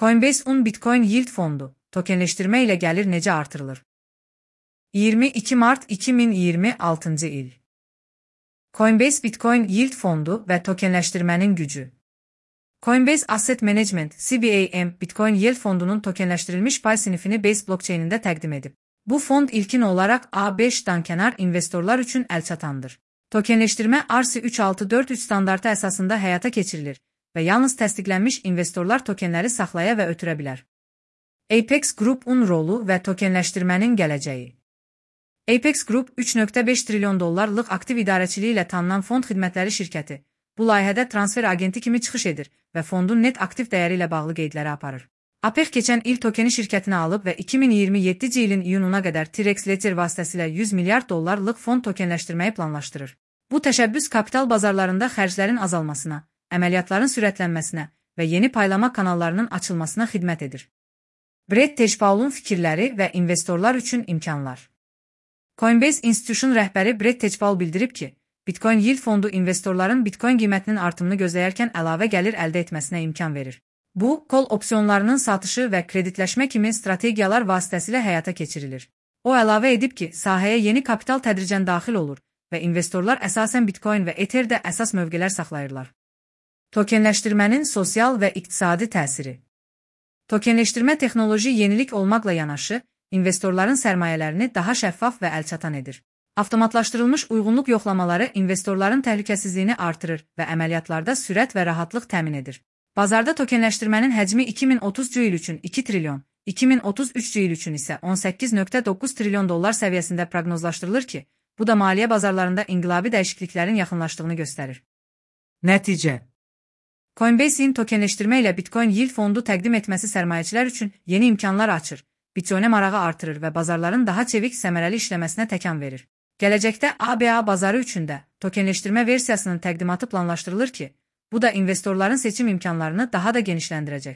Coinbase 10 Bitcoin Yield fondu, tokenleştirme ile gelir necə artırılır? 22 Mart 2026 il. Coinbase Bitcoin Yield fondu ve tokenleştirmenin gücü. Coinbase Asset Management (CBAM) Bitcoin Yield fondunun tokenleştirilmiş pay sinifini Base blockchain'inde təqdim edib. Bu fond ilkin olarak A5'dan kənar investorlar üçün əlçatandır. Tokenleştirme RC3643 standartı əsasında həyata keçirilir və yalnız təsdiqlənmiş investorlar tokenləri saxlaya və ötürə bilər. Apex Group'un rolu və tokenleştirmenin gələcəyi. Apex Group, $3.5 trilyon aktiv idarəçiliyi ilə tanınan fond xidmətləri şirkəti, bu layihədə transfer agenti kimi çıxış edir və fondun net aktiv dəyəri ilə bağlı qeydləri aparır. Apex keçən il tokeni şirkətinə alıb və 2027 ilin iyununa qədər T-Rex Ledger vasitəsilə $100 milyard fond tokenləşdirməyi planlaşdırır. Bu təşəbbüs kapital bazarlarında xərclərin azalmasına, əməliyyatların sürətlənməsinə və yeni paylama kanallarının açılmasına xidmət edir. Brett Tejpaul'un fikirləri və investorlar üçün imkanlar. Coinbase Institution rəhbəri Brett Tejpaul bildirib ki, Bitcoin Yield fondu investorların Bitcoin qiymətinin artımını gözləyərkən əlavə gəlir əldə etməsinə imkan verir. Bu, kol opsiyonlarının satışı və kreditləşmə kimi strategiyalar vasitəsilə həyata keçirilir. O əlavə edib ki, sahəyə yeni kapital tədricən daxil olur və investorlar əsasən Bitcoin və Ether'də əsas mövqelər saxlayırlar. Tokenləşdirmənin sosial və iqtisadi təsiri. Tokenləşdirmə texnoloji yenilik olmaqla yanaşı, investorların sərmayələrini daha şəffaf və əlçatan edir. Avtomatlaşdırılmış uyğunluq yoxlamaları investorların təhlükəsizliyini artırır və əməliyyatlarda sürət və rahatlıq təmin edir. Bazarda tokenləşdirmənin həcmi 2030 il üçün 2 trilyon, 2033 il üçün isə $18.9 trilyon səviyyəsində proqnozlaşdırılır ki, bu da maliyyə bazarlarında inqilabi dəyişikliklərin yaxınlaşdığını göstərir. Nəticə. Coinbase'in tokenləşdirmə ilə Bitcoin Yield fondu təqdim etməsi sərmayəçilər üçün yeni imkanlar açır, Bitcoin'ə marağı artırır və bazarların daha çevik səmərəli işləməsinə təkan verir. Gələcəkdə ABA bazarı üçün də tokenləşdirmə versiyasının təqdimatı planlaşdırılır ki, bu da investorların seçim imkanlarını daha da genişləndirəcək.